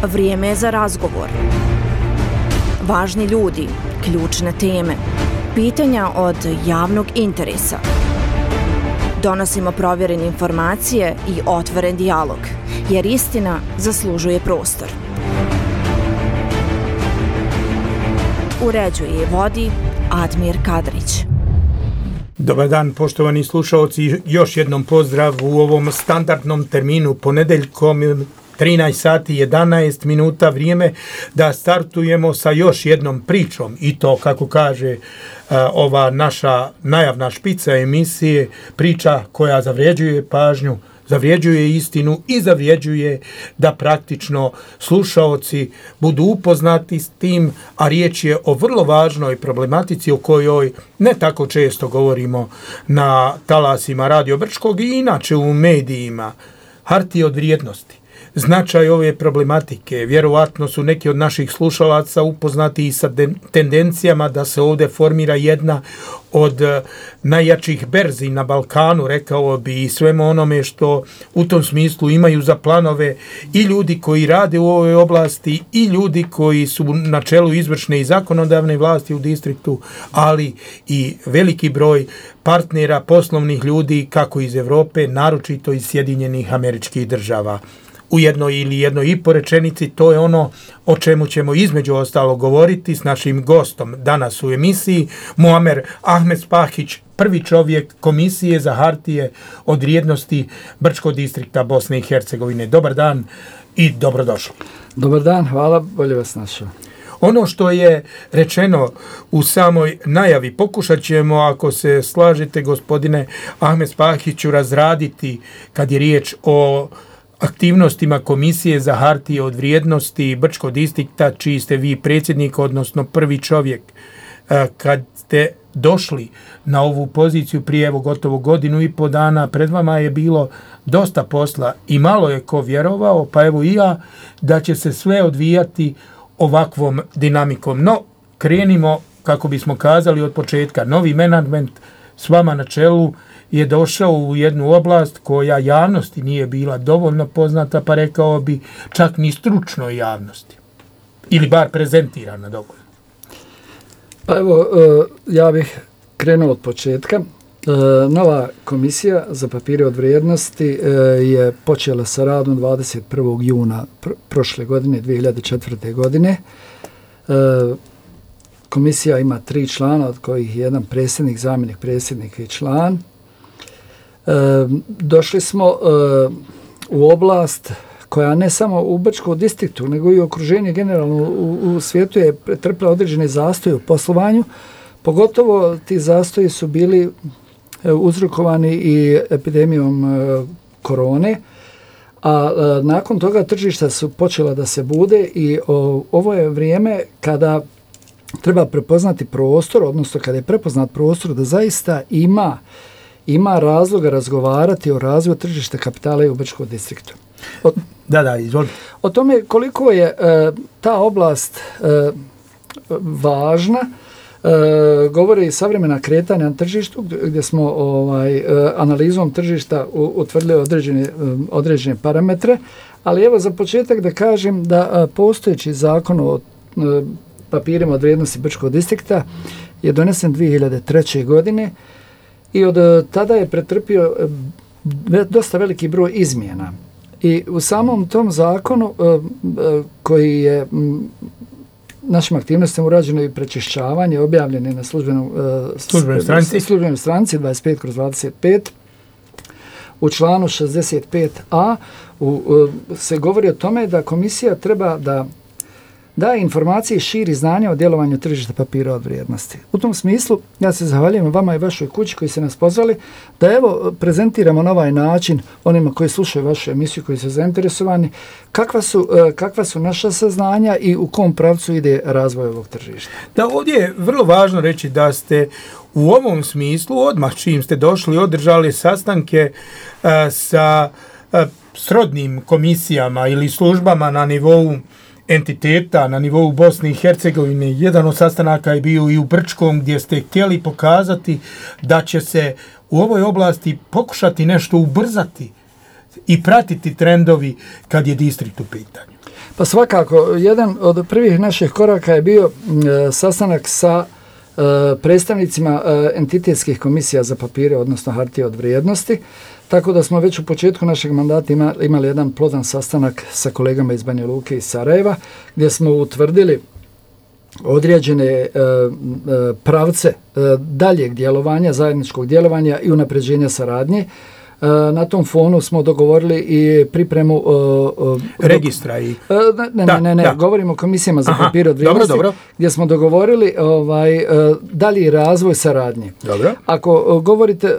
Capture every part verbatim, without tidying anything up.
Vrijeme je za razgovor. Važni ljudi, ključne teme, pitanja od javnog interesa. Donosimo provjerene informacije i otvoren dijalog, jer istina zaslužuje prostor. Uređuje i vodi Admir Kadrić. Dobar dan, poštovani slušalci, još jednom pozdrav u ovom standardnom terminu ponedeljkom trinaest sati jedanaest minuta, vrijeme da startujemo sa još jednom pričom i to, kako kaže uh, ova naša najavna špica emisije, priča koja zavređuje pažnju, zavređuje istinu i zavređuje da praktično slušaoci budu upoznati s tim, a riječ je o vrlo važnoj problematici o kojoj ne tako često govorimo na talasima Radio Brčkog i inače u medijima. Hartije od vrijednosti. Značaj ove problematike, vjerovatno su neki od naših slušalaca upoznati i sa tendencijama da se ovdje formira jedna od najjačih berzi na Balkanu, rekao bi, i svemu onome što u tom smislu imaju za planove i ljudi koji rade u ovoj oblasti i ljudi koji su na čelu izvršne i zakonodavne vlasti u distriktu, ali i veliki broj partnera, poslovnih ljudi kako iz Europe, naročito iz Sjedinjenih Američkih Država. U jednoj ili jednoj i po rečenici, to je ono o čemu ćemo između ostalo govoriti s našim gostom danas u emisiji, Muamer Ahmed Spahić, prvi čovjek Komisije za hartije od vrijednosti Brčkog distrikta Bosne i Hercegovine. Dobar dan i dobrodošli. Dobar dan, hvala, bolje vas našao. Ono što je rečeno u samoj najavi, pokušat ćemo, ako se slažete, gospodine Ahmed Spahiću, razraditi kad je riječ o aktivnostima Komisije za hartije od vrijednosti Brčkog distrikta, čiji ste vi predsjednik, odnosno prvi čovjek. Kad ste došli na ovu poziciju prije evo gotovo godinu i po dana, pred vama je bilo dosta posla i malo je ko vjerovao, pa evo i ja, da će se sve odvijati ovakvom dinamikom. No, krenimo, kako bismo kazali od početka, novi menadžment s vama na čelu je došao u jednu oblast koja javnosti nije bila dovoljno poznata, pa rekao bi čak ni stručnoj javnosti. Ili bar prezentirana dovoljno. Pa evo, ja bih krenuo od početka. Nova komisija za papire od vrijednosti je počela sa radom dvadeset prvog juna prošle godine, dvije hiljade četvrte. godine. Komisija ima tri člana, od kojih je jedan predsjednik, zamjenik predsjednika i član. E, došli smo e, u oblast koja ne samo u Brčkom distriktu, nego i okruženje generalno u, u svijetu je pretrpila određene zastoje u poslovanju. Pogotovo ti zastoji su bili e, uzrokovani i epidemijom e, korone, a e, nakon toga tržišta su počela da se bude i o, ovo je vrijeme kada treba prepoznati prostor, odnosno kada je prepoznat prostor da zaista ima ima razloga razgovarati o razvoju tržišta kapitala i u Brčkom distriktu. O, da, da, izvolite. O tome koliko je e, ta oblast e, važna, e, govori i savremena kretanja na tržištu, gdje smo ovaj, e, analizom tržišta u, utvrdili određene, e, određene parametre, ali evo za početak da kažem da e, postojeći zakon o e, papirima od vrijednosti Brčkog distrikta je donesen dvije hiljade treće. godine i od tada je pretrpio dosta veliki broj izmjena. I u samom tom zakonu koji je našim aktivnostima urađeno i prečišćavanje, objavljeno na službenom službenoj stranici. službenoj stranici dvadeset pet kroz dvadeset pet, u članu šezdeset pet a u, u, se govori o tome da komisija treba da daje informacije i širi znanja o djelovanju tržišta papira od vrijednosti. U tom smislu, ja se zahvaljujem vama i vašoj kući koji ste nas pozvali da evo prezentiramo na ovaj način onima koji slušaju vašu emisiju, koji su zainteresovani, kakva su, kakva su naša saznanja i u kom pravcu ide razvoj ovog tržišta. Da, ovdje je vrlo važno reći da ste u ovom smislu, odmah čim ste došli, održali sastanke uh, sa uh, srodnim komisijama ili službama na nivou entiteta na nivou Bosne i Hercegovine. Jedan od sastanaka je bio i u Brčkom, gdje ste htjeli pokazati da će se u ovoj oblasti pokušati nešto ubrzati i pratiti trendovi kad je distrikt u pitanju. Pa svakako, jedan od prvih naših koraka je bio e, sastanak sa e, predstavnicima e, entitetskih komisija za papire, odnosno hartije od vrijednosti, tako da smo već u početku našeg mandata ima, imali jedan plodan sastanak sa kolegama iz Banja Luke i Sarajeva, gdje smo utvrdili određene e, e, pravce e, daljeg djelovanja, zajedničkog djelovanja i unapređenja saradnje. E, na tom fonu smo dogovorili i pripremu e, registra i... E, ne, da, ne, ne, ne, da. govorimo o komisijama za Aha, papir od vrijednosti, dobro, dobro. gdje smo dogovorili ovaj, e, dalji razvoj saradnje. Dobro. Ako e, govorite e,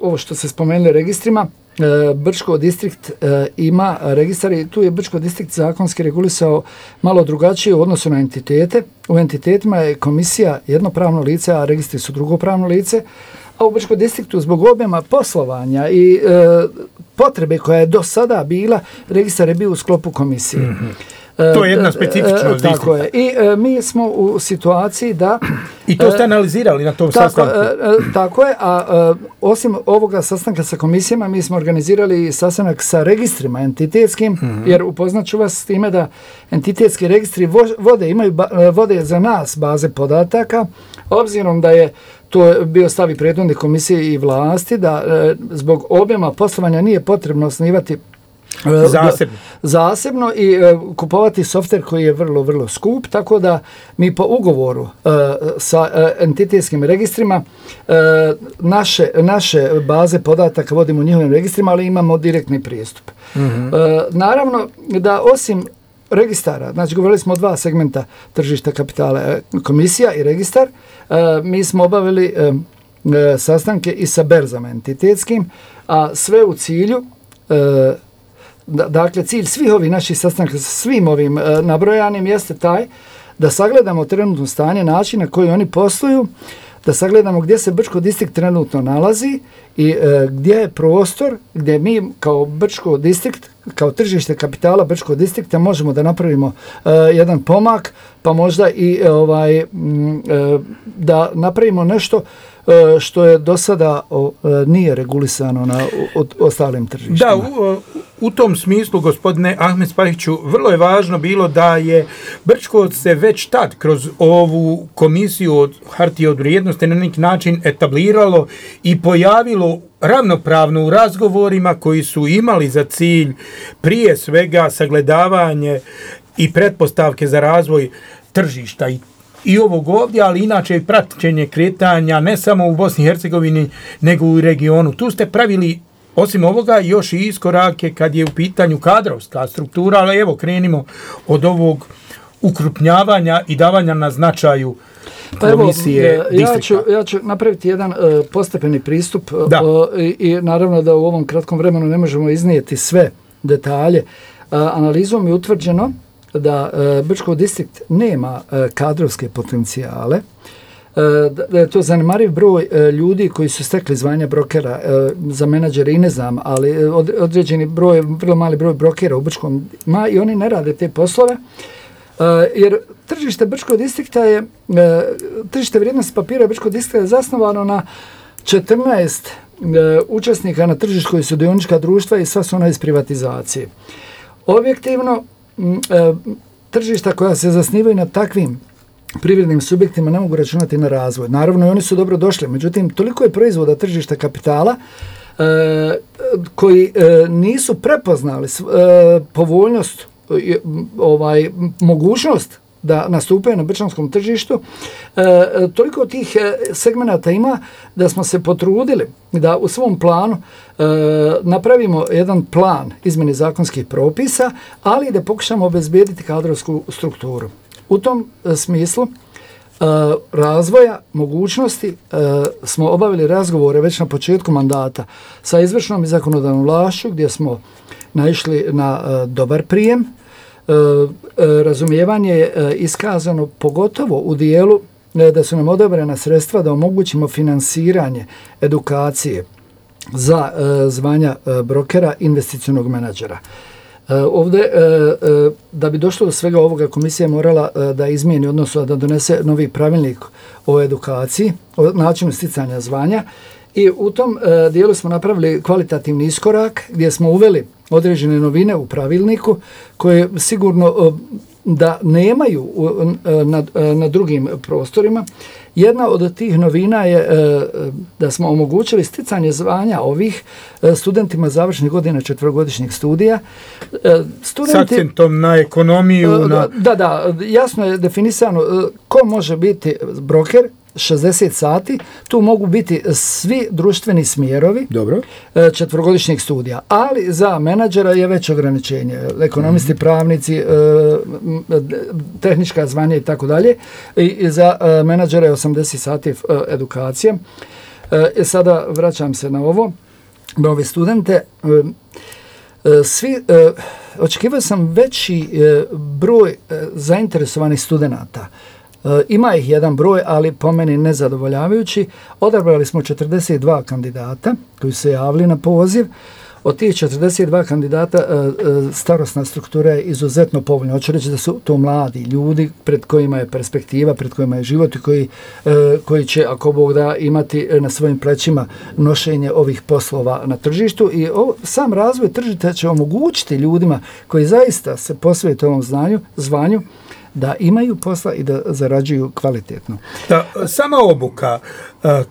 ovo što se spomenuli registrima, E, Brčko distrikt e, ima registar i tu je Brčko distrikt zakonski regulisao malo drugačije u odnosu na entitete. U entitetima je komisija jedno pravno lice, a registri su drugo pravno lice, a u Brčko distriktu zbog objema poslovanja i e, potrebe koja je do sada bila, registar je bio u sklopu komisije. Mm-hmm. To je jedna specifičnost. E, e, tako je. I e, mi smo u situaciji da... I to ste analizirali na tom tako, sastanku. E, e, tako je, a e, osim ovoga sastanka sa komisijama, mi smo organizirali i sastanak sa registrima entitetskim, mm-hmm. jer upoznaću vas s time da entitetski registri vode, imaju ba, vode za nas baze podataka, obzirom da je to bio stav i prethodne komisije i vlasti, da e, zbog objema poslovanja nije potrebno osnivati Zasebno. zasebno i e, kupovati softver koji je vrlo, vrlo skup, tako da mi po ugovoru e, sa e, entitetskim registrima e, naše, naše baze podataka vodimo u njihovim registrima, ali imamo direktni pristup. Mm-hmm. E, naravno da osim registara, znači govorili smo o dva segmenta tržišta kapitala, komisija i registar, e, mi smo obavili e, e, sastanke i sa berzama entitetskim, a sve u cilju e, dakle, cilj svih ovih naših sastanaka sa svim ovim e, nabrojanim jeste taj da sagledamo trenutno stanje, način na koji oni posluju, da sagledamo gdje se Brčko distrikt trenutno nalazi i e, gdje je prostor gdje mi kao Brčko distrikt, kao tržište kapitala Brčko distrikta možemo da napravimo e, jedan pomak, pa možda i e, ovaj, m, e, da napravimo nešto e, što je do sada o, e, nije regulisano na o, o, ostalim tržištima. Da, u, u tom smislu, gospodine Ahmed Spahiću, vrlo je važno bilo da je Brčko se već tad kroz ovu komisiju od hartije od vrijednosti na neki način etabliralo i pojavilo ravnopravno u razgovorima koji su imali za cilj prije svega sagledavanje i pretpostavke za razvoj tržišta i, i ovog ovdje, ali inače i praćenje kretanja ne samo u Bosni i Hercegovini nego u regionu. Tu ste pravili osim ovoga još i iskorake kad je u pitanju kadrovska struktura, ali evo krenimo od ovog ukrupnjavanja i davanja na značaju Pa evo, komisije ja ću, ja ću napraviti jedan uh, postepeni pristup uh, i, i naravno da u ovom kratkom vremenu ne možemo iznijeti sve detalje. Uh, analizom je utvrđeno da uh, Brčko distrikt nema uh, kadrovske potencijale, uh, da je to zanemariv broj uh, ljudi koji su stekli zvanja brokera, uh, za menadžere i ne znam, ali od, određeni broj, vrlo mali broj brokera u Brčkom ima i oni ne rade te poslove. Uh, jer tržište Brčkog distrikta je, uh, tržište vrijednosti papira Brčkog distrikta je zasnovano na četrnaest uh, učesnika na tržištu koji su dionička društva i sva su ona iz privatizacije. Objektivno, uh, tržišta koja se zasnivaju na takvim privrednim subjektima ne mogu računati na razvoj. Naravno, i oni su dobro došli, međutim, toliko je proizvoda tržišta kapitala uh, koji uh, nisu prepoznali uh, povoljnost ovaj mogućnost da nastupaju na brčanskom tržištu, e, toliko tih segmenata ima da smo se potrudili da u svom planu e, napravimo jedan plan izmjene zakonskih propisa, ali da pokušamo obezbijediti kadrovsku strukturu. U tom e, smislu e, razvoja, mogućnosti e, smo obavili razgovore već na početku mandata sa izvršnom i zakonodavnom vlašću gdje smo naišli na e, dobar prijem. E, e, razumijevanje je e, iskazano pogotovo u dijelu e, da su nam odobrena sredstva da omogućimo finansiranje edukacije za e, zvanja e, brokera, investicionog menadžera. E, ovdje, e, e, da bi došlo do svega ovoga, komisija je morala e, da izmijeni, odnosno da donese novi pravilnik o edukaciji, o načinu sticanja zvanja I u tom e, dijelu smo napravili kvalitativni iskorak gdje smo uveli određene novine u pravilniku koje sigurno e, da nemaju e, na, e, na drugim prostorima. Jedna od tih novina je e, da smo omogućili sticanje zvanja ovih e, studentima završnih godina četverogodišnjeg studija. E, studenti, S akcentom na ekonomiju. E, na... Da, da, jasno je definisano e, ko može biti broker, šezdeset sati, tu mogu biti svi društveni smjerovi. Dobro. Četvrogodišnjeg studija, ali za menadžera je već ograničenje. Ekonomisti, mm-hmm. pravnici, tehnička zvanja i tako dalje. I za menadžera je osamdeset sati edukacije. E, sada vraćam se na ovo, na ove studente. Svi, očekivao sam veći broj zainteresovanih studenata. Ima ih jedan broj, ali po meni nezadovoljavajući. Odabrali smo četrdeset dva kandidata koji su se javili na poziv. Od tih četrdeset dva kandidata starosna struktura je izuzetno povoljna. Hoću reći da su to mladi ljudi pred kojima je perspektiva, pred kojima je život i koji, koji će, ako Bog da, imati na svojim plećima nošenje ovih poslova na tržištu. I ovo, sam razvoj tržišta će omogućiti ljudima koji zaista se posvete ovom znanju, zvanju, da imaju posla i da zarađuju kvalitetno. Da, sama obuka,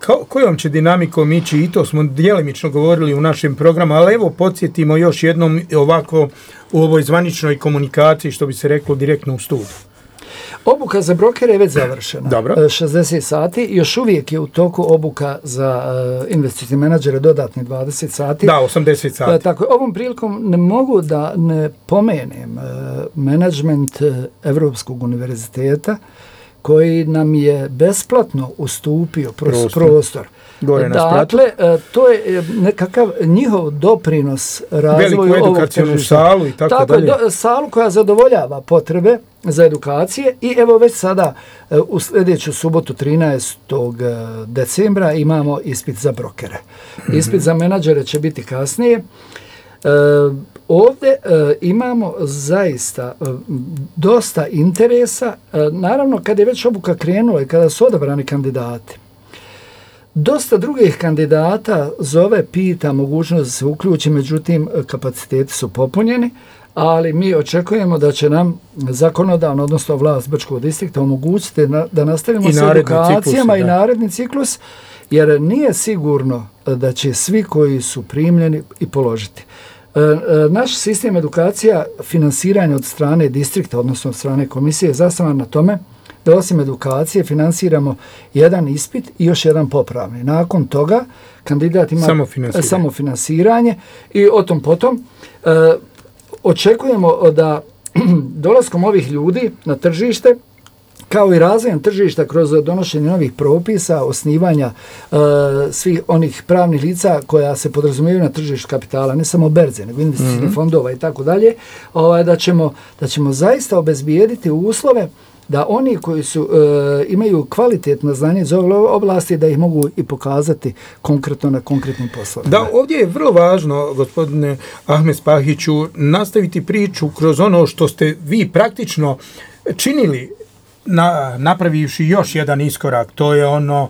ko, kojom će dinamikom ići, i to smo djelimično govorili u našem programu, ali evo podsjetimo još jednom ovako u ovoj zvaničnoj komunikaciji, što bi se reklo direktno u studiju. Obuka za brokere je već završena. Dobro. šezdeset sati. Još uvijek je u toku obuka za uh, investicijne menadžere dodatni dvadeset sati. Da, osamdeset sati. Uh, tako, ovom prilikom ne mogu da ne pomenem uh, menadžment uh, Evropskog univerziteta koji nam je besplatno ustupio prostor. prostor. Gore na dakle, to je nekakav njihov doprinos razvoju ovog veliku edukacijnu salu i tako, tako dalje. Do, salu koja zadovoljava potrebe za edukacije i evo već sada u sljedeću subotu trinaestog decembra imamo ispit za brokere. Mm-hmm. Ispit za menadžere će biti kasnije. E, ovdje e, imamo zaista e, dosta interesa. E, naravno, kad je već obuka krenula i kada su odabrani kandidati, dosta drugih kandidata zove, pita mogućnost da se uključi, međutim kapaciteti su popunjeni, ali mi očekujemo da će nam zakonodavno, odnosno vlast Brčkog distrikta omogućiti na, da nastavimo I s edukacijama ciklus, i naredni ciklus, jer nije sigurno da će svi koji su primljeni i položiti. E, e, naš sistem edukacija, finansiranja od strane distrikta, odnosno od strane komisije, je zasnovan na tome da osim edukacije finansiramo jedan ispit i još jedan popravni. Nakon toga kandidat ima samofinansiranje, samofinansiranje i o tom potom e, očekujemo da dolaskom ovih ljudi na tržište, kao i razvojem tržišta kroz donošenje novih propisa, osnivanja e, svih onih pravnih lica koja se podrazumijevaju na tržištu kapitala, ne samo berze, nego investicijnih mm-hmm. fondova i tako dalje, ovaj, da ćemo, da ćemo zaista obezbijediti uslove da oni koji su e, imaju kvalitetno znanje iz ove oblasti, da ih mogu i pokazati konkretno na konkretnim poslovima. Da, ovdje je vrlo važno, gospodine Ahmet Spahiću, nastaviti priču kroz ono što ste vi praktično činili, na, napravivši još jedan iskorak. To je ono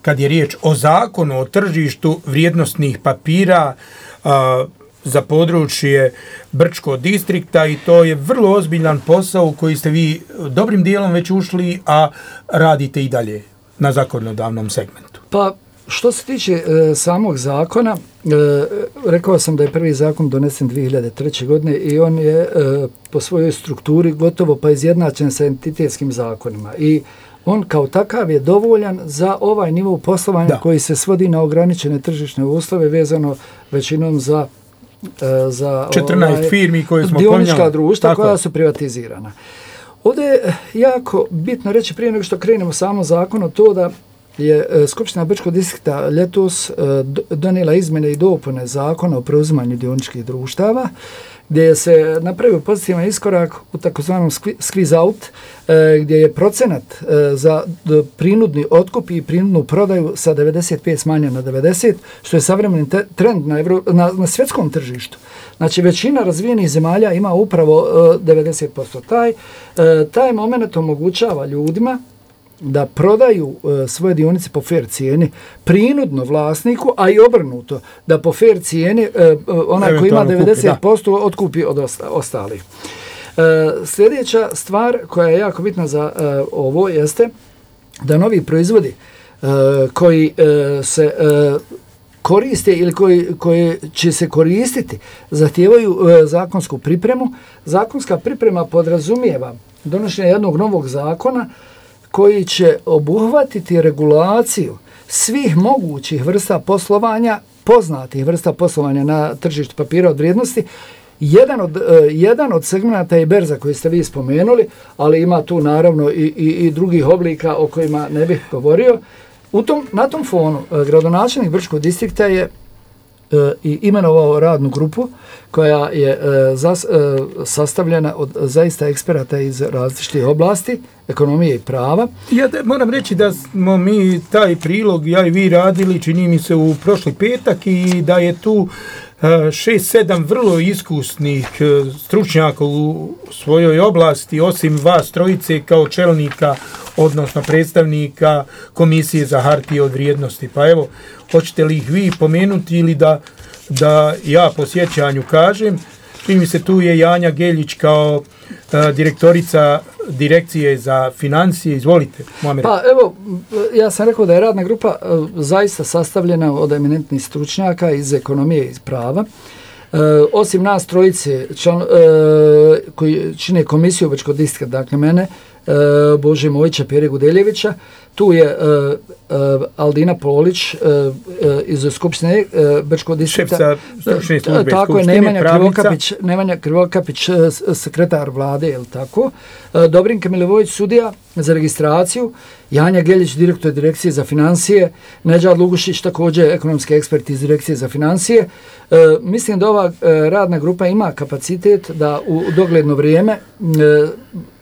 kad je riječ o zakonu o tržištu vrijednosnih papira, a, za područje Brčkog distrikta, i to je vrlo ozbiljan posao u koji ste vi dobrim dijelom već ušli, a radite i dalje na zakonodavnom segmentu. Pa što se tiče e, samog zakona, e, rekao sam da je prvi zakon donesen dvije hiljade treće. godine i on je e, po svojoj strukturi gotovo pa izjednačen sa entitetskim zakonima i on kao takav je dovoljan za ovaj nivo poslovanja da. koji se svodi na ograničene tržišne uslove vezano većinom za za četrnaest ovaj, firmi koje smo dionička pomnjali. društva Tako. koja su privatizirana. Ovdje je jako bitno reći prije nego što krenemo samo zakonu to da je Skupština Brčkog distrikta ljetos donijela izmjene i dopune zakona o preuzimanju dioničkih društava, gdje se napravio pozitivan iskorak u takozvanom squeeze out, gdje je procenat za prinudni otkup i prinudnu prodaju sa devedeset pet smanjen na devedeset, što je savremeni trend na, Evro, na, na svjetskom tržištu. Znači, većina razvijenih zemalja ima upravo devedeset posto. Taj, taj moment omogućava ljudima da prodaju uh, svoje dionice po fair cijeni prinudno vlasniku, a i obrnuto, da po fair cijeni uh, onaj koji ima devedeset posto kupi, otkupi od osta, ostalih. Uh, sljedeća stvar koja je jako bitna za uh, ovo jeste da novi proizvodi uh, koji uh, se uh, koriste ili koji, koji će se koristiti zahtijevaju uh, zakonsku pripremu. Zakonska priprema podrazumijeva donošenje jednog novog zakona koji će obuhvatiti regulaciju svih mogućih vrsta poslovanja, poznatih vrsta poslovanja na tržištu papira od vrijednosti. Jedan od, uh, jedan od segmenata je berza koji ste vi spomenuli, ali ima tu naravno i, i, i drugih oblika o kojima ne bih govorio. U tom, na tom fonu uh, gradonačelnik Brčkog distrikta je uh, i imenovao radnu grupu koja je uh, zas, uh, sastavljena od zaista eksperata iz različitih oblasti, ekonomije i prava. Ja da, moram reći da smo mi taj prilog, ja i vi radili, čini mi se u prošli petak i da je tu šest sedam vrlo iskusnih stručnjaka u svojoj oblasti, osim vas trojice kao čelnika, odnosno predstavnika Komisije za hartije od vrijednosti. Pa evo, hoćete li ih vi pomenuti ili da, da ja po sjećanju kažem? Čini mi se tu je Janja Geljić kao uh, direktorica Direkcije za financije. Izvolite, Muamer. Pa evo, ja sam rekao da je radna grupa uh, zaista sastavljena od eminentnih stručnjaka iz ekonomije i iz prava. Uh, osim nas trojice član, uh, koji čine komisiju Brčkog distrikta, dakle mene, uh, Bože Mojića, Pere Gudeljevića, tu je uh, uh, Aldina Polić uh, uh, iz Skupštine uh, Brčkog distrikta. Šef sa stručne službe tako Skupštine, je, Nemanja Krivokapić, Nemanja Krivokapić, uh, sekretar vlade, je li tako? Uh, Dobrinka Milivojević, sudija za registraciju, Janja Geljić, direktor Direkcije za financije, Nedžad Lugušić, također ekonomski ekspert iz Direkcije za financije. Uh, mislim da ova uh, radna grupa ima kapacitet da u dogledno vrijeme uh,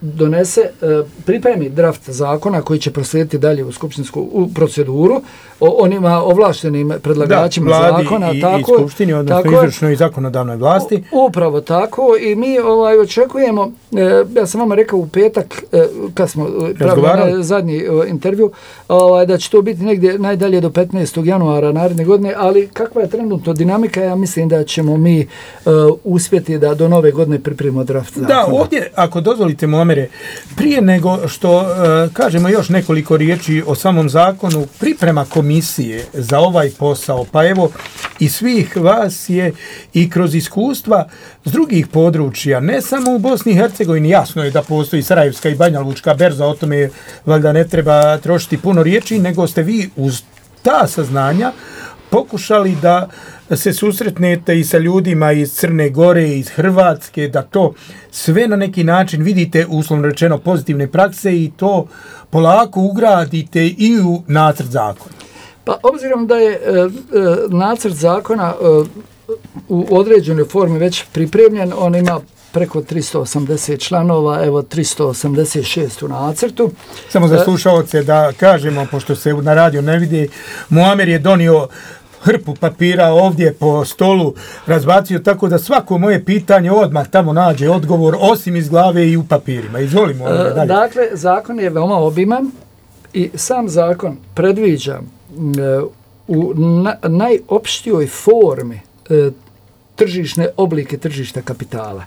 donese, uh, pripremi draft zakona koji će proslijediti dalje u skupštinsku u proceduru o onima ovlaštenim predlagačima da, vladi zakona. I, tako, i skupštini, odnosno tako, izvršnoj i zakonodavnoj vlasti. Upravo tako i mi ovaj, očekujemo, eh, ja sam vama rekao u petak, eh, kad smo pravili zadnji eh, intervju, ovaj, da će to biti negdje najdalje do petnaestog januara naredne godine, ali kakva je trenutno dinamika, ja mislim da ćemo mi eh, uspjeti da do nove godine pripremimo draft zakona. Da, ovdje, ako dozvolite, Muamere, prije nego što eh, kažemo još nekoliko riječi o samom zakonu, priprema komisije za ovaj posao, pa evo i svih vas je i kroz iskustva s drugih područja, ne samo u Bosni i Hercegovini, jasno je da postoji Sarajevska i Banja Lučka berza, o tome valjda ne treba trošiti puno riječi, nego ste vi uz ta saznanja pokušali da se susretnete i sa ljudima iz Crne Gore, iz Hrvatske, da to sve na neki način vidite, uslovno rečeno, pozitivne prakse i to polako ugradite i u nacrt zakona. Pa obzirom da je e, e, nacrt zakona e, u određenoj formi već pripremljen, on ima preko tristo osamdeset članova, evo tristo osamdeset šest u nacrtu. Samo za slušalce da kažemo, pošto se na radio ne vidi, Muamer je donio hrpu papira ovdje po stolu, razbacio tako da svako moje pitanje odmah tamo nađe odgovor, osim iz glave i u papirima. Izvolimo. E, dalje. Dakle, zakon je veoma obiman i sam zakon predviđa u na, najopštijoj formi e, tržišne oblike tržišta kapitala.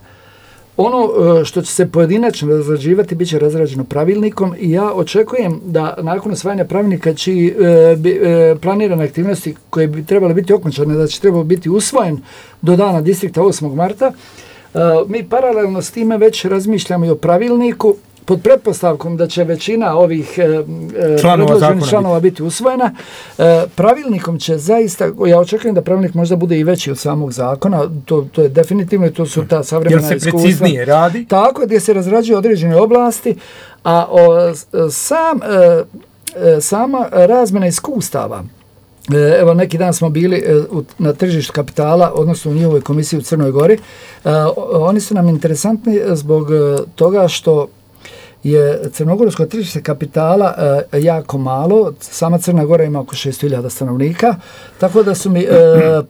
Ono e, što će se pojedinačno razrađivati bit će razrađeno pravilnikom i ja očekujem da nakon usvajanja pravilnika čiji e, bi, e, planirane aktivnosti koje bi trebale biti okončane, da će trebalo biti usvojen do dana distrikta osmog marta, e, mi paralelno s time već razmišljamo i o pravilniku pod pretpostavkom da će većina ovih e, članova, članova biti usvojena. E, pravilnikom će zaista, ja očekujem da pravilnik možda bude i veći od samog zakona, to, to je definitivno, to su ta savremena iskustva. Jer se preciznije radi? Tako, gdje se razrađuje određene oblasti, a o, sam, e, sama razmjena iskustava, e, evo neki dan smo bili e, u, na tržištu kapitala, odnosno u njihovoj komisiji u Crnoj Gori, e, oni su nam interesantni zbog toga što je crnogorsko tržište kapitala e, jako malo, sama Crna Gora ima oko šest hiljada stanovnika, tako da su mi e,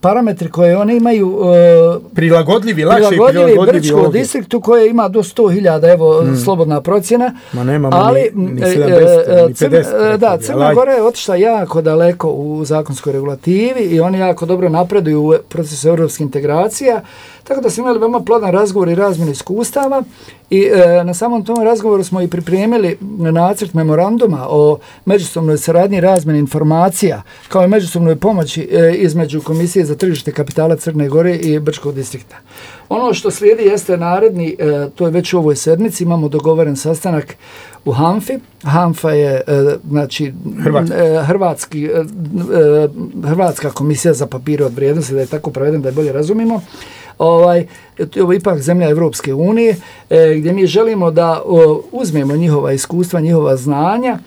parametri koje one imaju e, prilagodljivi, lakše prilagodljivi, prilagodljivi Brčkom distriktu koje ima do sto hiljada, evo mm. slobodna procjena. Ma nemamo ali, ni, ni sedamdeset, e, ni pedeset. Crn, da, Crna Gora je otišla jako daleko u zakonskoj regulativi i oni jako dobro napreduju u procesu europskih integracija, tako da smo imali veoma plodan razgovor i razmjenu iskustava i e, na samom tom razgovoru smo i pripremili nacrt memoranduma o međusobnoj saradnji i razmjeni informacija kao i međusobnoj pomoći e, između Komisije za tržište kapitala Crne Gore i Brčkog distrikta. Ono što slijedi jeste naredni, e, to je već u ovoj sedmici, imamo dogovoren sastanak u Hanfi. Hanfa je e, znači Hrvatski. e, hrvatski, e, Hrvatska komisija za papire od vrijednosti, da je tako preveden da je bolje razumimo. Ovaj, ovo je ipak zemlja Evropske unije e, gdje mi želimo da o, uzmemo njihova iskustva, njihova znanja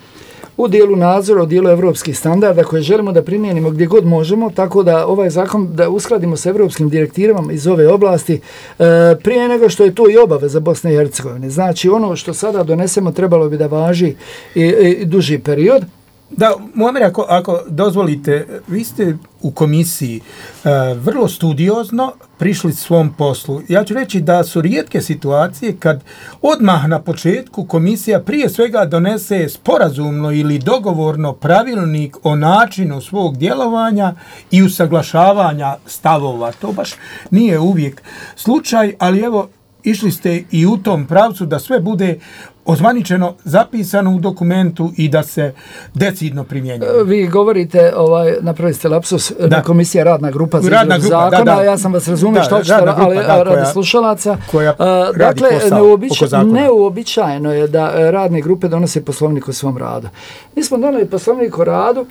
u dijelu nadzora, u dijelu evropskih standarda koje želimo da primijenimo gdje god možemo, tako da ovaj zakon da uskladimo sa evropskim direktivama iz ove oblasti e, prije nego što je to i obaveza Bosne i Hercegovine. Znači ono što sada donesemo trebalo bi da važi i, i duži period. Da, Muamer, ako, ako dozvolite, vi ste u komisiji e, vrlo studiozno prišli svom poslu. Ja ću reći da su rijetke situacije kad odmah na početku komisija prije svega donese sporazumno ili dogovorno pravilnik o načinu svog djelovanja i usaglašavanja stavova. To baš nije uvijek slučaj, ali evo, išli ste i u tom pravcu da sve bude ozvaničeno, zapisano u dokumentu i da se decidno primjenjuje. Vi govorite, ovaj, napravili ste lapsus, da. Komisija radna grupa za radna izradu grupa, zakona, da, da. Ja sam vas razumio što ćete, ali da, radi slušalaca. Koja uh, radi dakle, posao neuobiča, oko zakona. Neuobičajeno je da radne grupe donose poslovnik o svom radu. Mi smo doneli poslovnik o radu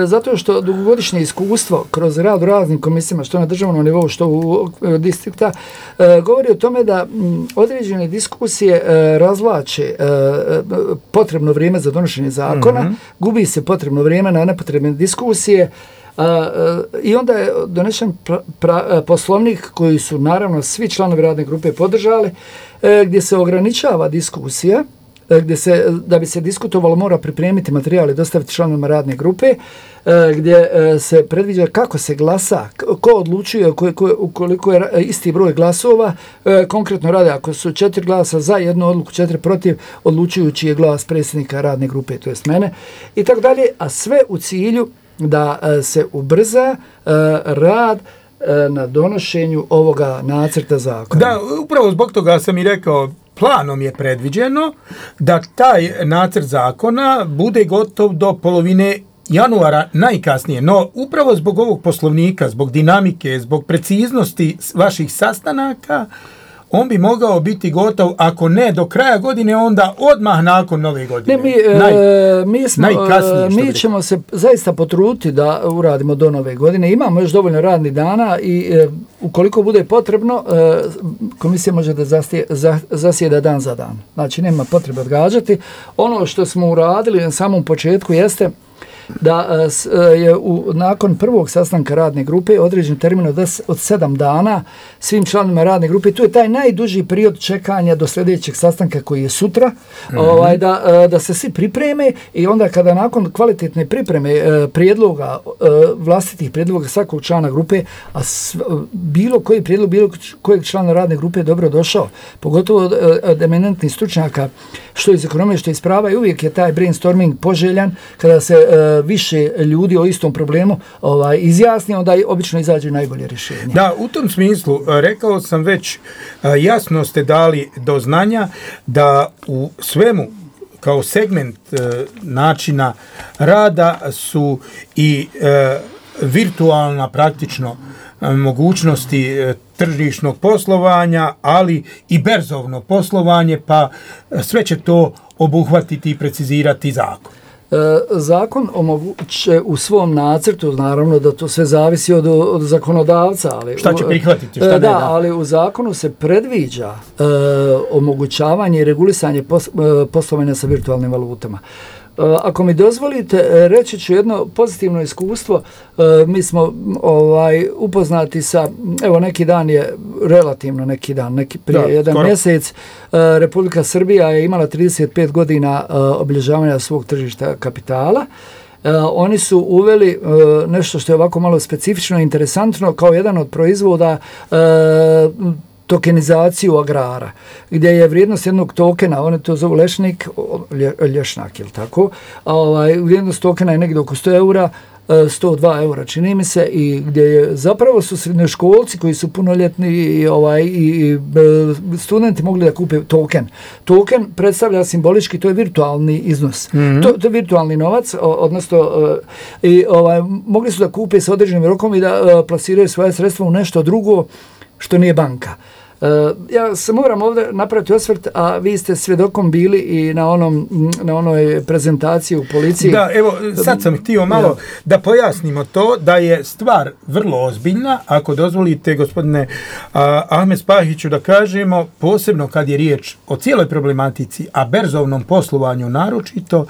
zato što dugogodišnje iskustvo kroz rad u raznim komisijama, što na državnom nivou, što u distrikta, uh, govori o tome da m, određene diskusije uh, razvlače uh, potrebno vrijeme za donošenje zakona, mm-hmm. gubi se potrebno vrijeme na nepotrebne diskusije uh, uh, i onda je donešen pra, pra, poslovnik koji su naravno svi članovi radne grupe podržali, uh, gdje se ograničava diskusija, uh, gdje se, da bi se diskutovalo mora pripremiti materijal i dostaviti članovima radne grupe, uh, gdje uh, se predviđa kako se glasa, ko odlučuje ko, ko, ukoliko je isti broj glasova, uh, konkretno rade ako su četiri glasa za jednu odluku, četiri protiv, odlučujući je glas predsjednika radne grupe, to jest mene, i tako dalje, a sve u cilju da uh, se ubrza uh, rad uh, na donošenju ovoga nacrta zakona. Da, upravo zbog toga sam i rekao, planom je predviđeno da taj nacrt zakona bude gotov do polovine januara najkasnije, no upravo zbog ovog poslovnika, zbog dinamike, zbog preciznosti vaših sastanaka, on bi mogao biti gotov, ako ne do kraja godine, onda odmah nakon nove godine. Ne, mi, Naj, e, mi, smo, e, mi ćemo se zaista potruditi da uradimo do nove godine. Imamo još dovoljno radnih dana i e, ukoliko bude potrebno, e, komisija može da zasije, za, zasjeda dan za dan. Znači, nema potrebe odgađati. Ono što smo uradili na samom početku jeste da je u, nakon prvog sastanka radne grupe određen termin od, od sedam dana svim članovima radne grupe. Tu je taj najduži period čekanja do sljedećeg sastanka koji je sutra, mm-hmm. ovaj, da, da se svi pripreme i onda kada nakon kvalitetne pripreme prijedloga, vlastitih prijedloga svakog člana grupe, a sv, bilo koji prijedlog, bilo kojeg člana radne grupe je dobro došao, pogotovo od, od eminentnih stručnjaka, što iz ekonomije, što iz prava, i uvijek je taj brainstorming poželjan kada se više ljudi o istom problemu ovaj, izjasni, onda obično izađe najbolje rješenje. Da, u tom smislu, rekao sam već, jasno ste dali do znanja da u svemu kao segment e, načina rada su i e, virtualna praktično e, mogućnosti e, tržišnog poslovanja, ali i berzovno poslovanje, pa sve će to obuhvatiti i precizirati zakon. E, zakon omoguće u svom nacrtu, naravno da to sve zavisi od, od zakonodavca. Ali, šta će prihvatiti, šta e, ne da, da. Ali u zakonu se predviđa e, omogućavanje i regulisanje pos, e, poslovanja sa virtualnim valutama. ako mi dozvolite, reći ću jedno pozitivno iskustvo. Mi smo ovaj, upoznati sa, evo neki dan je, relativno neki dan, neki prije da, jedan skoro. mjesec, Republika Srbija je imala trideset pet godina obilježavanja svog tržišta kapitala. Uh, oni su uveli uh, nešto što je ovako malo specifično i interesantno kao jedan od proizvoda uh, tokenizaciju agrara, gdje je vrijednost jednog tokena, oni to zovu lešnik, lje, lješnak, ili tako, a ovaj, vrijednost tokena je negdje oko sto eura, sto dva eura čini mi se, i gdje je zapravo su srednjoškolci koji su punoljetni i, ovaj, i, i studenti mogli da kupe token. Token predstavlja simbolički, to je virtualni iznos. Mm-hmm. To, to je virtualni novac, odnosno i, ovaj, mogli su da kupe sa određenim rokom i da plasiraju svoje sredstva u nešto drugo što nije banka. Uh, ja se moram ovdje napraviti osvrt, a vi ste svjedokom bili i na onom na onoj prezentaciji u policiji. Da, evo, sad sam htio malo ja. da pojasnimo to, da je stvar vrlo ozbiljna, ako dozvolite, gospodine uh, Ahmed Spahiću, da kažemo, posebno kad je riječ o cijeloj problematici, a berzovnom poslovanju naročito,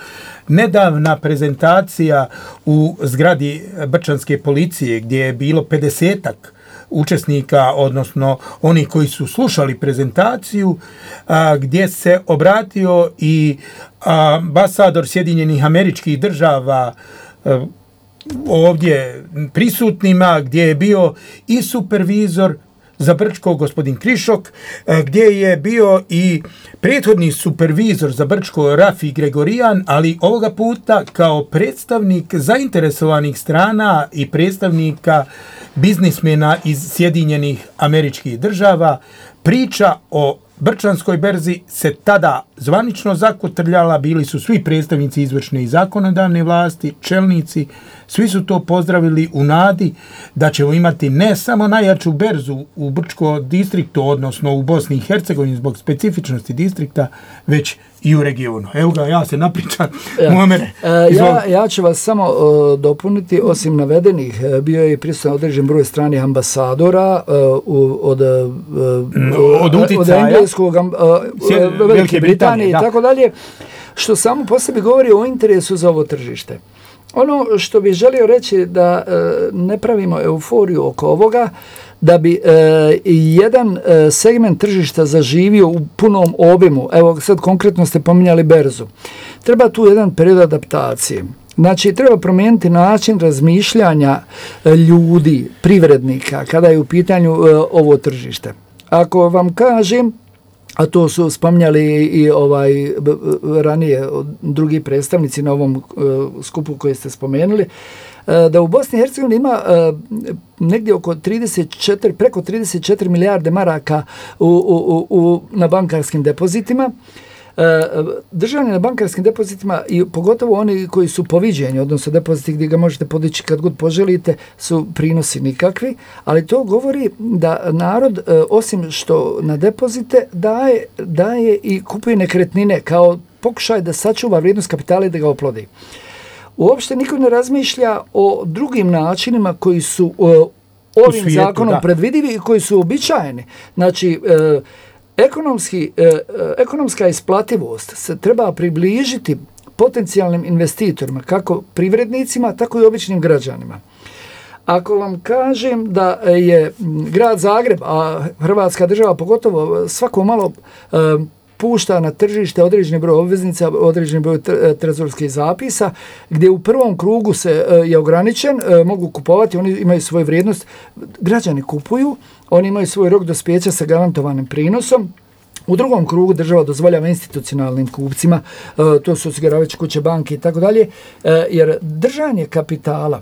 nedavna prezentacija u zgradi Brčanske policije, gdje je bilo pedesetak učesnika, odnosno oni koji su slušali prezentaciju, a, gdje se obratio i ambasador Sjedinjenih Američkih Država a, ovdje prisutnima, gdje je bio i supervizor za Brčko, gospodin Krišok, gdje je bio i prethodni supervizor za Brčko, Rafi Gregorijan, ali ovoga puta kao predstavnik zainteresovanih strana i predstavnika biznismena iz Sjedinjenih Američkih Država. Priča o Brčanskoj berzi se tada zvanično zakotrljala, bili su svi predstavnici izvršne i zakonodavne vlasti, čelnici, svi su to pozdravili u nadi da ćemo imati ne samo najjaču berzu u Brčko distriktu, odnosno u Bosni i Hercegovini zbog specifičnosti distrikta, već i u regionu. Evo ga, ja se napričam. Ja. Muamere, ja, ja ću vas samo uh, dopuniti, osim navedenih, bio je prisutan određen broj stranih ambasadora uh, od, uh, od, od engleskog, uh, Velike, Velike Britanije i tako dalje, što samo po sebi govori o interesu za ovo tržište. Ono što bih želio reći da e, ne pravimo euforiju oko ovoga, da bi e, jedan e, segment tržišta zaživio u punom obimu. Evo sad konkretno ste pominjali berzu. Treba tu jedan period adaptacije. Znači treba promijeniti način razmišljanja ljudi, privrednika, kada je u pitanju e, ovo tržište. Ako vam kažem, a to su spominjali i ovaj ranije drugi predstavnici na ovom uh, skupu koji ste spomenuli, uh, da u Bosni i Hercegovini ima uh, negdje oko trideset četiri, preko trideset četiri milijarde maraka u, u, u, na bankarskim depozitima. Držanje na bankarskim depozitima i pogotovo oni koji su poviđeni, odnosno depoziti gdje ga možete podići kad god poželite, su prinosi nikakvi, ali to govori da narod osim što na depozite daje, daje i kupuje nekretnine kao pokušaj da sačuva vrijednost kapitala i da ga oplodi. Uopšte niko ne razmišlja o drugim načinima koji su uh, ovim svijetu, zakonom da. predvidivi i koji su običajeni. Znači, uh, Ekonomski, eh, ekonomska isplativost se treba približiti potencijalnim investitorima, kako privrednicima, tako i običnim građanima. Ako vam kažem da je grad Zagreb, a Hrvatska država pogotovo, svako malo eh, pušta na tržište određeni broj obveznica, određeni broj trezorskih zapisa, gdje u prvom krugu se je ograničen, mogu kupovati, oni imaju svoju vrijednost, građani kupuju, oni imaju svoj rok dospijeća sa garantovanim prinosom. U drugom krugu država dozvoljava institucionalnim kupcima, to su osiguravajuće kuće, banke i tako dalje, jer držanje kapitala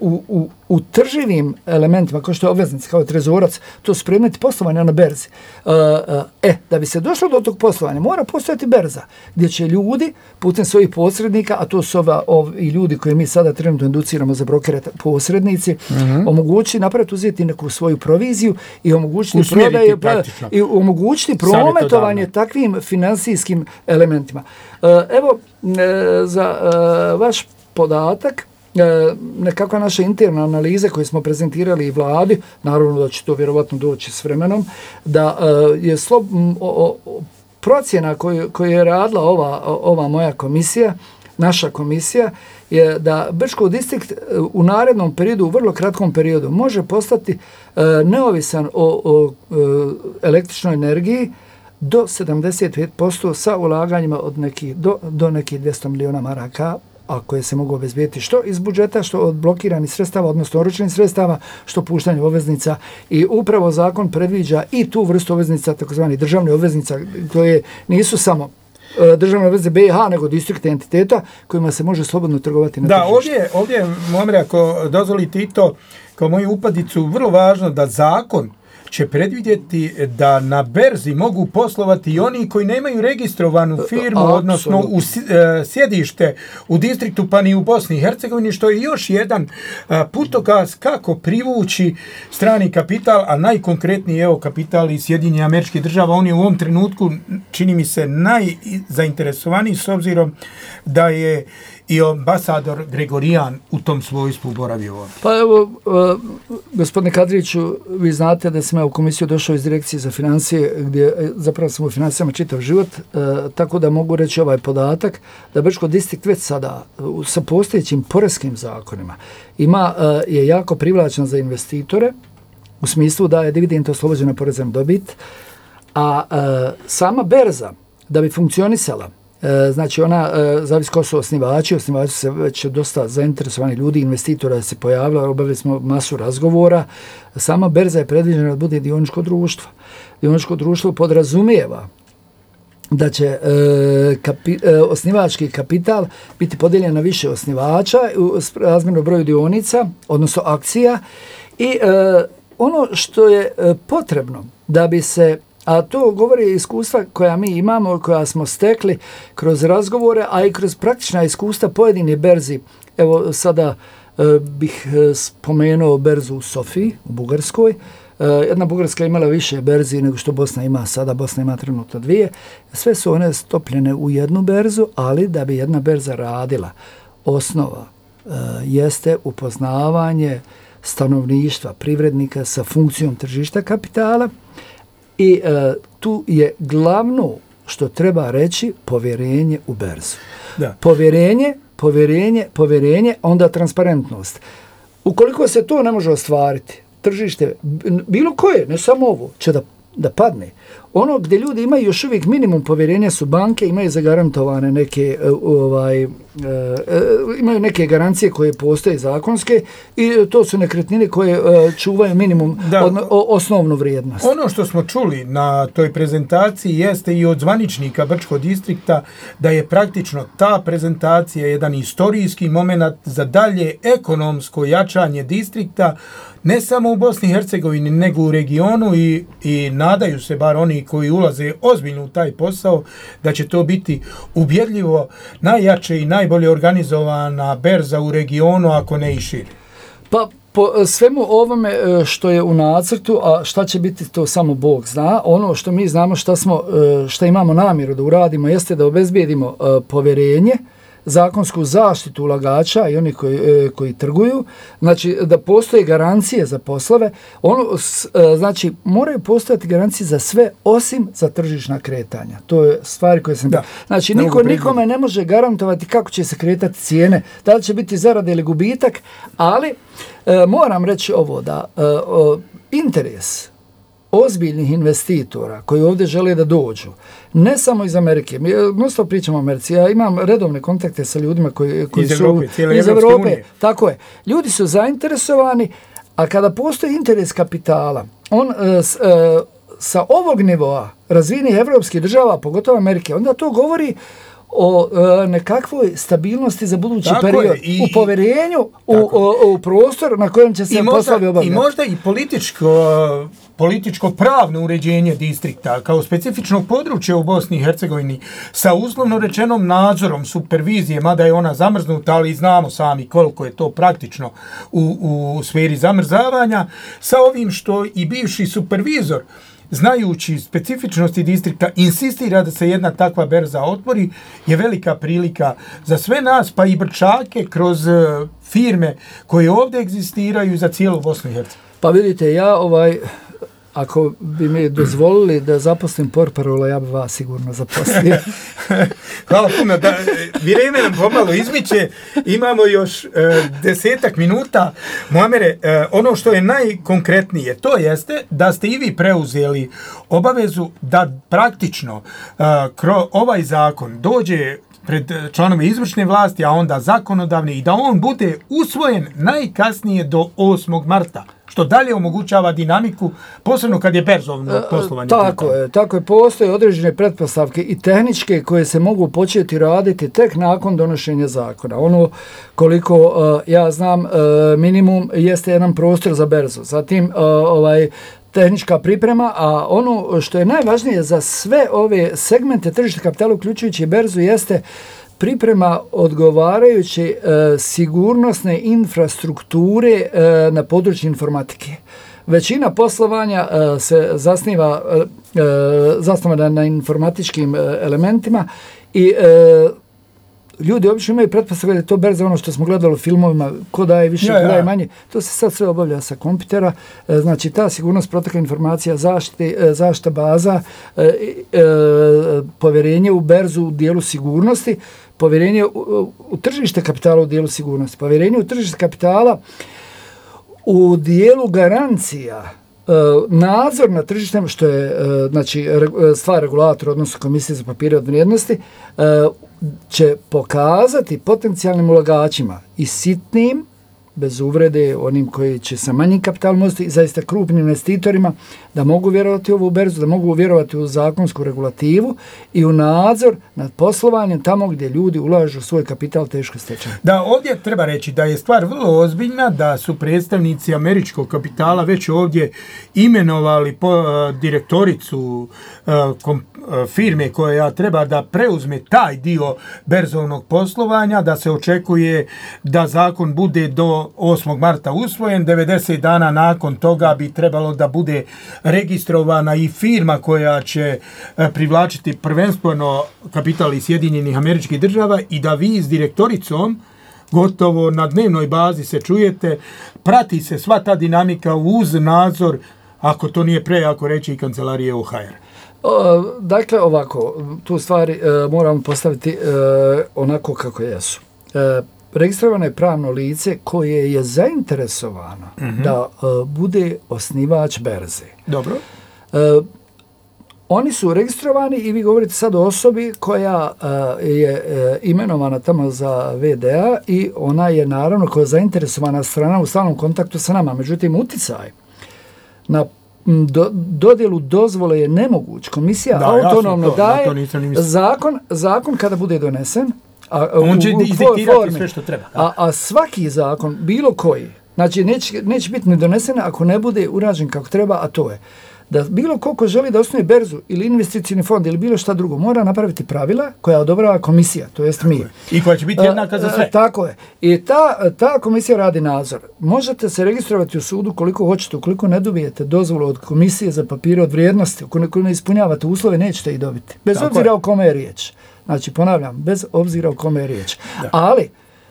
U, u, u trživim elementima, kao što je obveznici, kao trezorac, to su predmeti poslovanja na berzi. Uh, uh, e, da bi se došlo do tog poslovanja, mora postojati berza, gdje će ljudi, putem svojih posrednika, a to su ova, ovi ljudi koje mi sada trenutno educiramo za brokere, posrednici, mm-hmm. omogućiti, napraviti, uzeti neku svoju proviziju i omogućiti prodaje, i omogućiti prometovanje takvim finansijskim elementima. Uh, evo, uh, za uh, vaš podatak, nekakva naša interna analiza koju smo prezentirali i vladi, naravno da će to vjerovatno doći s vremenom, da je slob, o, o, procjena koju, koju je radila ova, ova moja komisija, naša komisija je da Brčko distrikt u narednom periodu, u vrlo kratkom periodu, može postati e, neovisan o, o e, električnoj energiji do sedamdeset pet posto sa ulaganjima od nekih, do, do nekih dvjesto milijuna maraka, a koje se mogu obezbijeti što iz budžeta, što od blokiranih sredstava, odnosno oročenih sredstava, što puštanje obveznica. I upravo zakon predviđa i tu vrstu obveznica, takozvani državne obveznica, koje nisu samo državne obveznice B i H, nego distrikta entiteta kojima se može slobodno trgovati na da, tržištu. ovdje, ovdje, Momre, ako dozvolite i to, kao moju upadicu, vrlo važno da zakon će predvidjeti da na berzi mogu poslovati i oni koji nemaju registrovanu firmu, a, odnosno u sjedište u distriktu, pa ni u Bosni i Hercegovini, što je još jedan putokaz kako privući strani kapital, a najkonkretniji evo kapital iz Sjedinjenih Američkih Država. On je u ovom trenutku, čini mi se, najzainteresovaniji s obzirom da je i ambasador Gregorijan u tom svojstvu boravio ovdje. Pa evo, uh, gospodine Kadriću, vi znate da sam ja u komisiju došao iz direkcije za financije, gdje zapravo sam u financijama čitav život, uh, tako da mogu reći ovaj podatak, da Brčko distrikt već sada uh, sa postojećim poreskim zakonima ima, uh, je jako privlačan za investitore, u smislu da je dividend oslobođena poreza na dobit, a uh, sama berza, da bi funkcionisala, znači ona, zavisi ko su osnivači, osnivači se već dosta zainteresovani ljudi, investitora se pojavila, obavili smo masu razgovora. Sama berza je predviđena da bude dioničko društvo. Dioničko društvo podrazumijeva da će e, kapi, e, osnivački kapital biti podijeljen na više osnivača u razmjerno broju dionica, odnosno akcija. I e, ono što je e, potrebno da bi se, a to govori iskustva koja mi imamo, koja smo stekli kroz razgovore, a i kroz praktična iskustva pojedine berzi. Evo sada e, bih spomenuo berzu u Sofiji, u Bugarskoj. E, jedna Bugarska je imala više berzi nego što Bosna ima sada. Bosna ima trenutno dvije. Sve su one stopljene u jednu berzu, ali da bi jedna berza radila, osnova e, jeste upoznavanje stanovništva, privrednika sa funkcijom tržišta kapitala. I e, tu je glavno što treba reći povjerenje u berzu. Da. Povjerenje, povjerenje, povjerenje, onda transparentnost. Ukoliko se to ne može ostvariti, tržište, bilo koje, ne samo ovo, će da, da padne. Ono gdje ljudi imaju još uvijek minimum povjerenja su banke, imaju zagarantovane neke, ovaj, uh, uh, imaju neke garancije koje postoje zakonske i to su nekretnine koje uh, čuvaju minimum da, od, o, osnovnu vrijednost. Ono što smo čuli na toj prezentaciji jeste i od zvaničnika Brčkog distrikta da je praktično ta prezentacija jedan historijski moment za dalje ekonomsko jačanje distrikta, ne samo u Bosni i Hercegovini, nego u regionu i, i nadaju se bar oni koji ulaze ozbiljno u taj posao, da će to biti ubjedljivo najjače i najbolje organizovana berza u regionu, ako ne i šire. Pa po svemu ovome što je u nacrtu, a šta će biti to samo Bog zna, ono što mi znamo šta, smo, šta imamo namjeru da uradimo jeste da obezbijedimo povjerenje, zakonsku zaštitu ulagača i oni koji, e, koji trguju, znači da postoje garancije za poslove, ono, s, e, znači moraju postojati garancije za sve osim za tržišna kretanja. To je stvari koje sam... Da. Znači niko nikome ne može garantovati kako će se kretati cijene, da li će biti zarada ili gubitak, ali e, moram reći ovo da e, o, interes ozbiljnih investitora koji ovdje žele da dođu, ne samo iz Amerike, mi mnogo pričamo o Americi, ja imam redovne kontakte sa ljudima koji, koji iz su Evrope, iz Evrope, tako je. Ljudi su zainteresovani, a kada postoji interes kapitala, on e, s, e, sa ovog nivoa razvijenih evropskih država, pogotovo Amerike, onda to govori o e, nekakvoj stabilnosti za budući tako period, i, u povjerenju u, o, o prostor na kojem će se poslovi obavljati. I možda i političko, političko pravno uređenje distrikta kao specifičnog područja u Bosni i Hercegovini sa uslovno rečenom nadzorom supervizije, mada je ona zamrznuta, ali znamo sami koliko je to praktično u, u sferi zamrzavanja, sa ovim što i bivši supervizor, znajući specifičnosti distrikta, insistira da se jedna takva berza otvori, je velika prilika za sve nas, pa i Brčake kroz firme koje ovdje egzistiraju za cijelu Bosnu i Hercegovinu. Pa vidite, ja ovaj ako bi mi dozvolili da zaposlim portparola, ja bi vas sigurno zaposlio. Hvala puno. Da, vrijeme nam pomalo izmiče. Imamo još e, desetak minuta. Muamere, e, ono što je najkonkretnije, to jeste da ste i vi preuzeli obavezu da praktično e, kro, ovaj zakon dođe pred članove izvršne vlasti, a onda zakonodavne i da on bude usvojen najkasnije do osmog marta. Što dalje omogućava dinamiku, posebno kad je berzovno poslovanje. Tako je, tako je, postoje određene pretpostavke i tehničke koje se mogu početi raditi tek nakon donošenja zakona. Ono koliko uh, ja znam, uh, minimum jeste jedan prostor za berzu. Zatim uh, ovaj tehnička priprema, a ono što je najvažnije za sve ove segmente tržišta kapitala, uključujući berzu, jeste priprema odgovarajuće e, sigurnosne infrastrukture e, na području informatike. Većina poslovanja e, se zasniva e, zasnovana na informatičkim e, elementima i e, ljudi obično imaju pretpostavku da je to berza ono što smo gledali u filmovima, ko daje više, ja, ja. ko daje manje. To se sad sve obavlja sa kompjutera. E, znači ta sigurnost, protoka informacija, zaštite, e, zaštita baza, e, e, povjerenje u berzu u dijelu sigurnosti, povjerenje u, u tržište kapitala u dijelu sigurnosti, povjerenje u tržište kapitala u dijelu garancija, nadzor na tržištem, što je znači, stvar regulatora, odnosno Komisije za papire od vrijednosti, će pokazati potencijalnim ulagačima i sitnim, bez uvrede, onim koji će sa manjim kapitalom uzeti i zaista krupnim investitorima, da mogu vjerovati u ovu berzu, da mogu vjerovati u zakonsku regulativu i u nadzor nad poslovanjem tamo gdje ljudi ulažu svoj kapital teško stečen. Da, ovdje treba reći da je stvar vrlo ozbiljna, da su predstavnici američkog kapitala već ovdje imenovali po, uh, direktoricu uh, kom, uh, firme koja treba da preuzme taj dio berzovnog poslovanja, da se očekuje da zakon bude do osmog marta usvojen, devedeset dana nakon toga bi trebalo da bude registrovana i firma koja će privlačiti prvenstveno kapital iz Sjedinjenih Američkih Država i da vi s direktoricom gotovo na dnevnoj bazi se čujete, prati se sva ta dinamika uz nadzor, ako to nije prejako reći, i kancelarije O H R. O, dakle, ovako, tu stvari e, moramo postaviti e, onako kako jesu. E, registrovano je pravno lice koje je zainteresovano mm-hmm. da uh, bude osnivač berze. Dobro. Uh, oni su registrovani i vi govorite sad o osobi koja uh, je uh, imenovana tamo za V D A i ona je naravno koja je zainteresovana strana u stalnom kontaktu sa nama. Međutim, uticaj na do, dodjelu dozvole je nemoguć. Komisija da, autonomno to, daje zakon, zakon kada bude donesen, A, on će izdiktirati sve što treba. A, a svaki zakon, bilo koji, znači neće, neće biti ni donesen ako ne bude urađen kako treba, a to je da bilo ko ko želi da osnuje berzu ili investicijni fond ili bilo šta drugo, mora napraviti pravila koja odobrava komisija, to jest mi. I koja će biti jednaka za sve. A, tako je. I ta, ta komisija radi nadzor. Možete se registrovati u sudu koliko hoćete, ukoliko ne dobijete dozvolu od Komisije za papire od vrijednosti, ukoliko ne ispunjavate uslove, nećete ih dobiti. Bez tako obzira je. O kome je riječ. Znači, ponavljam, bez obzira o kome je riječ. Da. Ali,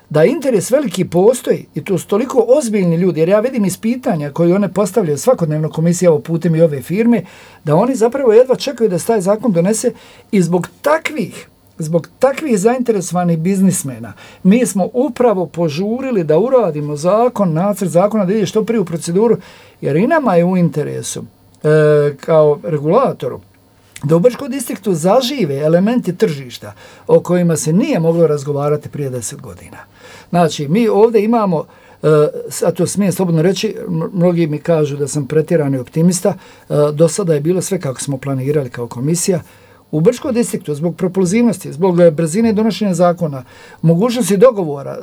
da interes veliki postoji, i to su toliko ozbiljni ljudi, jer ja vidim iz pitanja koje one postavljaju svakodnevno komisija o putem i ove firme, da oni zapravo jedva čekaju da se taj zakon donese i zbog takvih, zbog takvih zainteresovanih biznismena, mi smo upravo požurili da uradimo zakon, nacrt zakona, da ide što prije u proceduru, jer i nama je u interesu, e, kao regulatoru, da u Brčkom distriktu zažive elementi tržišta o kojima se nije moglo razgovarati prije deset godina. Znači, mi ovdje imamo, a to smijem slobodno reći, mnogi mi kažu da sam pretjerani optimista, do sada je bilo sve kako smo planirali kao komisija. U Brčkom distriktu, zbog propulzivnosti, zbog brzine donošenja zakona, mogućnosti dogovora,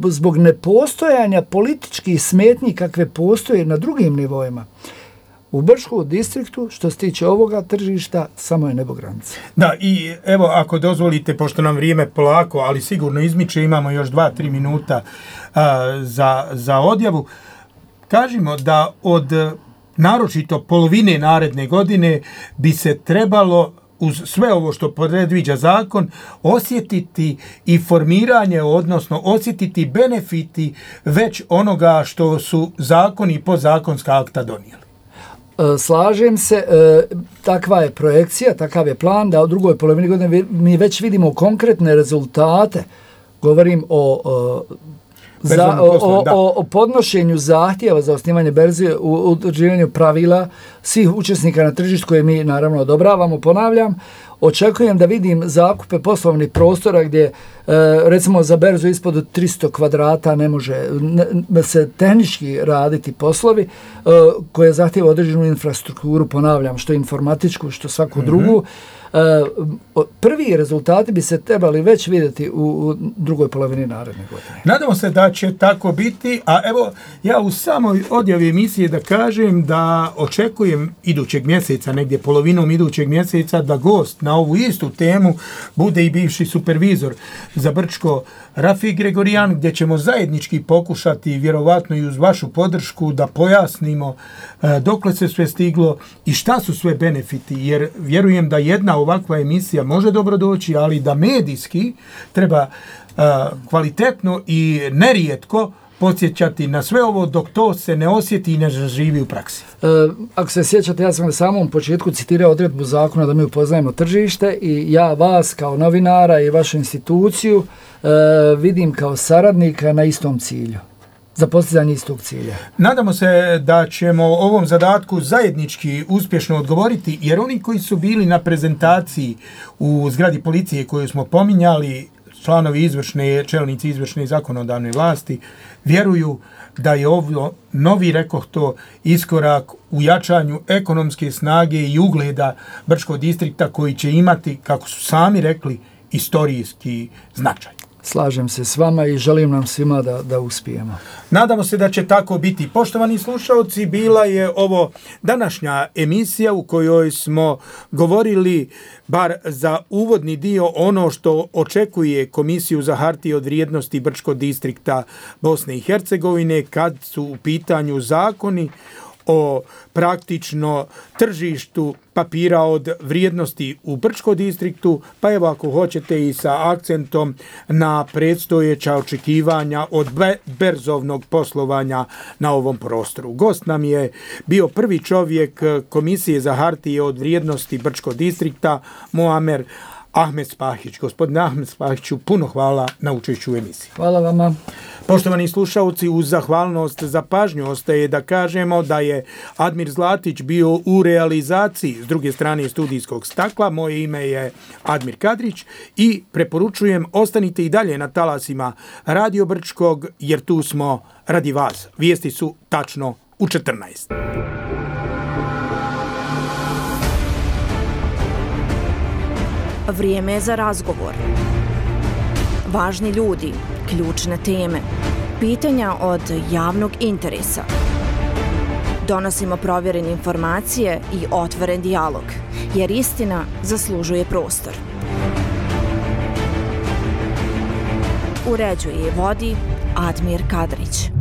zbog nepostojanja političkih smetnji kakve postoje na drugim nivoima, u Brčkom distriktu, što se tiče ovoga tržišta, samo je nebo granice. Da, i evo, ako dozvolite, pošto nam vrijeme polako, ali sigurno izmiče, imamo još dva, tri minuta a, za, za odjavu, kažimo da od naročito polovine naredne godine bi se trebalo, uz sve ovo što predviđa zakon, osjetiti i formiranje, odnosno osjetiti benefiti već onoga što su zakoni i podzakonska akta donijeli. Slažem se, takva je projekcija, takav je plan da u drugoj polovini godine mi već vidimo konkretne rezultate. Govorim o, za, o, o, o podnošenju zahtjeva za osnivanje berze, u utvrđivanju pravila svih učesnika na tržištu koje mi naravno odobravamo, ponavljam. Očekujem da vidim zakupe poslovnih prostora gdje e, recimo za berzu ispod tristo kvadrata ne može ne, se tehnički raditi poslovi e, koje zahtjeva određenu infrastrukturu, ponavljam, što informatičku, što svaku mm-hmm. drugu. E, prvi rezultati bi se trebali već vidjeti u, u drugoj polovini naredne godine. Nadamo se da će tako biti, a evo ja u samoj odjavi emisije da kažem da očekujem idućeg mjeseca, negdje polovinom idućeg mjeseca, da gost na ovu istu temu bude i bivši supervizor za Brčko Rafik Gregorijan, gdje ćemo zajednički pokušati, vjerovatno i uz vašu podršku, da pojasnimo e, dokle se sve stiglo i šta su sve benefiti, jer vjerujem da jedna ovakva emisija može dobro doći, ali da medijski treba e, kvalitetno i nerijetko podsjećati na sve ovo dok to se ne osjeti i ne zaživi u praksi. E, ako se sjećate, ja sam na samom početku citirao odredbu zakona da mi upoznajemo tržište i ja vas kao novinara i vašu instituciju e, vidim kao saradnika na istom cilju, za postizanje istog cilja. Nadamo se da ćemo ovom zadatku zajednički uspješno odgovoriti, jer oni koji su bili na prezentaciji u zgradi policije koju smo pominjali, članovi izvršne, čelnici izvršne i zakonodavne vlasti, vjeruju da je ovo novi, rekoh to, iskorak u jačanju ekonomske snage i ugleda Brčkog distrikta koji će imati, kako su sami rekli, istorijski značaj. Slažem se s vama i želim nam svima da, da uspijemo. Nadamo se da će tako biti. Poštovani slušalci, bila je ovo današnja emisija u kojoj smo govorili, bar za uvodni dio, ono što očekuje Komisiju za hartije od vrijednosti Brčkog distrikta Bosne i Hercegovine kad su u pitanju zakoni o praktično tržištu papira od vrijednosti u Brčkom distriktu, pa evo ako hoćete i sa akcentom na predstojeća očekivanja od berzovnog poslovanja na ovom prostoru. Gost nam je bio prvi čovjek Komisije za hartije od vrijednosti Brčkog distrikta, Muamer Ahmed Spahić. Gospodine Ahmed Spahiću, puno hvala na učešću u emisiji. Hvala vama. Poštovani slušalci, uz zahvalnost za pažnju ostaje da kažemo da je Admir Zlatić bio u realizaciji s druge strane studijskog stakla. Moje ime je Admir Kadrić i preporučujem ostanite i dalje na talasima Radio Brčkog, jer tu smo radi vas. Vijesti su tačno u četrnaest. Vrijeme je za razgovor. Važni ljudi, ključne teme, pitanja od javnog interesa. Donosimo provjerene informacije i otvoren dijalog, jer istina zaslužuje prostor. Uređuje i vodi Admir Kadrić.